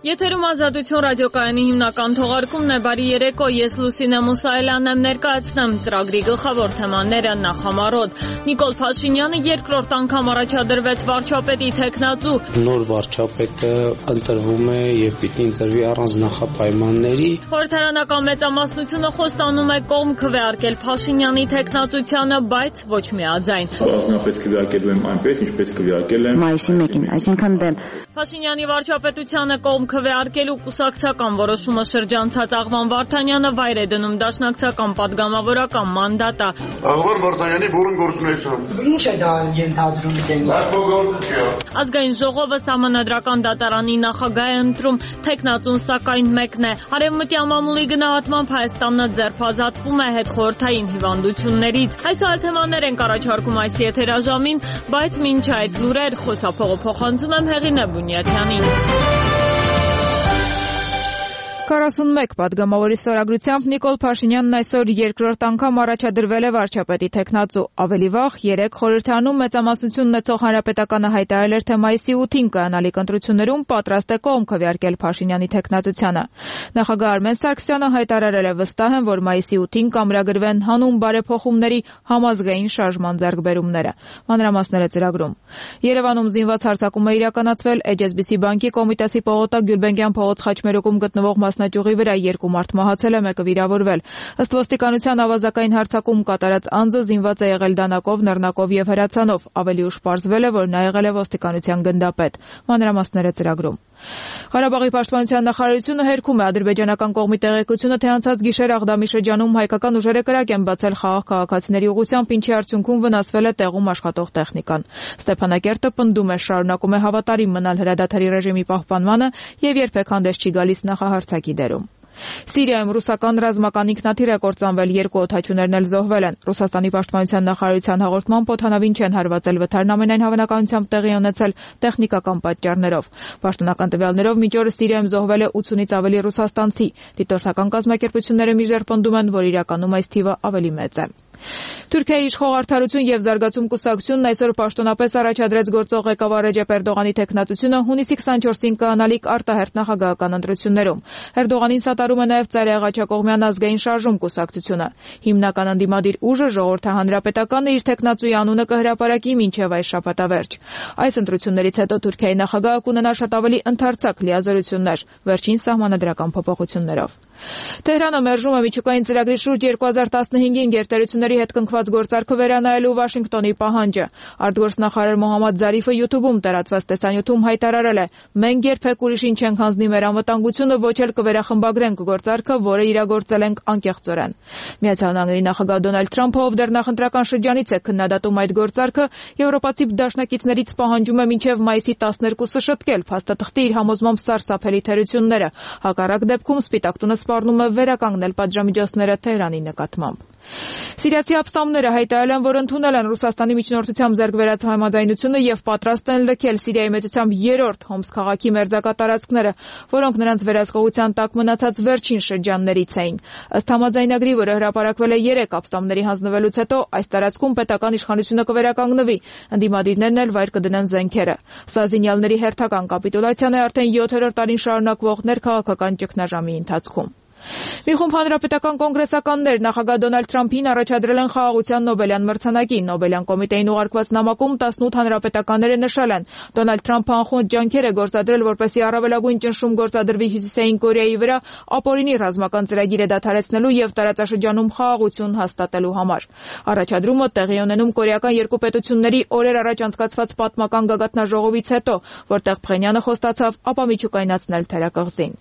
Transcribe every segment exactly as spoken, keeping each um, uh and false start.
Եթերում Ազատություն ռադիոկայանի հիմնական թողարկումն է, բարի երեկո, ես Լուսինե Մուսայելյանն եմ, ներկայացնեմ ծրագրի գլխավոր թեմաները նախամարոտ։ Նիկոլ Փաշինյանը երկրորդ անգամ առաջադրվեց վարչապետի թեկնածու։ Նոր վարչապետը ընտրվում է եւ պիտի ընտրվի առանց նախապայմանների։ Խորհրդարանական մեծամասնությունը խոստանում է կողմ քվեարկել Փաշինյանի թեկնածությանը, բայց ոչ միաձայն։ Առանձնապես քվեարկելու եմ այնպես, ինչպես քվեարկել եմ մայիսի մեկին, այսինքն դեմ Փաշինյանի վարչապետությանը կողմ քվեարկելու կուսակցական որոշումը շրջանցած Աղվան Վարդանյանը վայր է դնում դաշնակցական պատգամավորական մանդատը։ Աղվան Վարդանյանի բուրըն գործունեություն։ Ինչ է դա ենթադրում դեմ։ Ազգային ժողովը սահմանադրական դատարանի նախագահ է ընտրում, թեկնածուն սակայն մեկն է։ Արևմտյան մամուլի գնահատմամբ Հայաստանը ձերբազատվում է հետխորհրդային հիվանդություններից։ Այսօր թեմաներ ենք առաջարկում այս եթերաժամին, բայց մինչ այդ լուրեր խոսափողը փոխանցում եմ Հեղինե Բունյաթյանին։ քառասունմեկ պատգամավորի ստորագրությամբ Նիկոլ Փաշինյանն այսօր երկրորդ անգամ առաջադրվել է վարչապետի թեկնածու։ Ավելի վաղ երեք խորհրդարանում մեծամասնություն ունեցող Հանրապետականը հայտարարել էր, թե մայիսի ութին կայանալիք ընտրություններում պատրաստ է կողմ քվեարկել Փաշինյանի թեկնածությանը։ Նախագահ Արմեն Սարգսյանը հայտարարել է, վստահ եմ, որ մայիսի ութին կամրագրվեն հանուն բարեփոխումների համազգային շարժման ձեռքբերումները։ Մանրամասները ծրագրում։ Երևանում զինված հարձակում է իրականացվել Էյչ Էս Բի Սի բանկի Կոմիտասի Պողոտա Գյուլբենկյան փողոց խաչմերուկում գտնվող մասնաճյուղի վրա երկու մարդ մահացել է, մեկը վիրավորվել։ Ըստ ոստիկանության ավազակային հարձակում կատարած անձը զինված է եղել դանակով, նռնակով եւ հրացանով։ Ավելի ուշ պարզվել է, որ նա եղել է ոստիկանության գնդապետ։ Մանրամասները ծրագրում։ Ղարաբաղի պաշտպանության նախարարությունը հերքում է ադրբեջանական կողմի տեղեկությունը, թե անցած գիշեր Աղդամի շրջանում հայկական ուժերը կրակ են բացել խաղաղ քաղաքացիների ուղղությամբ, ինչի արդյունքում վնասվել է տեղում աշխատող տեխնիկան։ Ստեփանակերտը պնդում է, շարունակում է հավատարիմ մնալ հրադադարի ռեժիմի պահպանմանը եւ երբեք հանդես չի գալիս նախահարձակի դերում։ Սիրիայում ռուսական ռազմական ինքնաթիռ է կործանվել, երկու օդաչուներն էլ զոհվել են։ Ռուսաստանի պաշտպանության նախարարության հաղորդմամբ օդանավին չեն հարվածել, վթարն ամենայն հավանականությամբ տեղի ունեցել տեխնիկական պատճառներով։ Պաշտոնական տվյալներով մինչ օրս Սիրիայում զոհվել է ութունից ավելի ռուսաստանցի։ Դիտորդական կազմակերպությունները մինչդեռ պնդում են, որ իրականում այս թիվը ավելի մեծ է։ Թուրքիայի իշխող Արդարություն եւ Զարգացում կուսակցությունն այսօր պաշտոնապես առաջադրեց գործող ղեկավար Ռեջեփ Էրդողանի թեկնածությունը հունիսի քսանչորսին կայանալիք արտահերթ նախագահական ընտրություններում։ Էրդողանին սատարում է նաեւ Ծայրահեղաչակողմյան ազգային շարժում կուսակցությունը։ Հիմնական ընդդիմադիր ուժը Ժողովրդահանրապետականը իր թեկնածուի անունը կհրապարակի մինչեւ այս շաբաթավերջ։ Այս ընտրություններից հետո Թուրքիայի նախագահը կունենա շատ ավելի ընդարձակ լիազորություններ վերջին սահմանադրական փոփոխություններով։ Թեհրանը մերժում է միջուկային ծրագրի շուրջ երկու հազար տասնհինգին գերտերությունների հետ կնքված գործարքը վերանայելու Վաշինգտոնի պահանջը։ Արտգործնախարար Մոհամմադ Զարիֆը յութուբում տարածված տեսանյութում հայտարարել է. «Մենք երբեք ուրիշին չենք հանձնի մեր անվտանգությունը, ոչ էլ կվերախմբագրենք գործարքը, որը իրագործել ենք անկեղծորեն»։ Միացյալ Նահանգների նախագահ Դոնալդ Թրամփը, ով դեռ նախընտրական շրջանից է քննադատում այդ գործարքը, եվրոպացի դաշնակիցներից պահանջում է մինչև մայիսի տասներկուսը շտկել փաստաթղթի իր համոզմամբ սարսափելի թերությունները։ Հակառակ դեպքում Սպիտակ տունը սպառնում է վերականգնել պատժամիջոցները Թեհրանի նկատմամբ։ Սիրիացի ապստամբները հայտարարել են, որ ընդունել են Ռուսաստանի միջնորդությամբ ձեռք բերած համաձայնությունը եւ պատրաստ են լքել Սիրիայի մեծությամբ երրորդ Հոմս քաղաքի մերձակա տարածքները, որոնք նրանց վերահսկողության տակ մնացած վերջին շրջաններից էին։ Ըստ համաձայնագրի, որը հրապարակվել է երեք ապստամբների հանձնվելուց հետո, այս տարածքում պետական իշխանությունը կվերականգնվի, ընդդիմադիրներն էլ վայր կդնեն զենքերը։ Սա զինյալների հերթական կապիտուլյացիան է արդեն յոթերորդ տարին շարունակվող ներքաղաքական ճգնաժամի ընթացքում։ Մի խումբ հանրապետական կոնգրեսականներ նախագահ Դոնալդ Թրամփին առաջադրել են խաղաղության Նոբելյան մրցանակի։ Նոբելյան կոմիտեին ուղարկված նամակում տասնութ հանրապետականները նշել են. Դոնալդ Թրամփը անխոնջ ջանքեր է գործադրել, որպեսզի առավելագույն ճնշում գործադրվի Հյուսիսային Կորեայի վրա ապօրինի ռազմական ծրագիր է դադարեցնելու եւ տարածաշրջանում խաղաղություն հաստատելու համար։ Առաջադրումը տեղի ունենում կորեական երկու պետությունների օրեր առաջ անցկացված պատմական գագաթնաժողովից հետո, որտեղ Փխենյանը խոստացավ ապամիջուկայնացնել թերակղզին։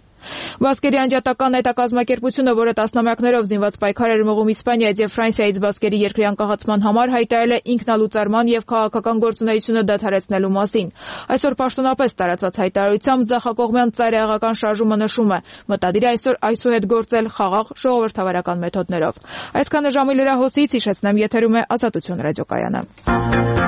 Բասկերի անջատական հետակազմակերպությունը, որը տասնամյակներով զինված պայքար էր մղում Իսպանիայից եւ Ֆրանսիայից Բասկերի երկրի անկախացման համար, հայտարարել է ինքնալուծարման եւ քաղաքական գործունեությունը դադարեցնելու մասին։ Այսօր պաշտոնապես տարածված հայտարարությամբ ձախակողմյան ծայրահեղական շարժումը նշում է. մտադիր է այսօր այսուհետ գործել խաղաղ ժողովրդավարական մեթոդներով։ Այսքանը ժամի լրահոսից հիշեցնեմ, եթերում է Ազատություն ռադիոկայանը։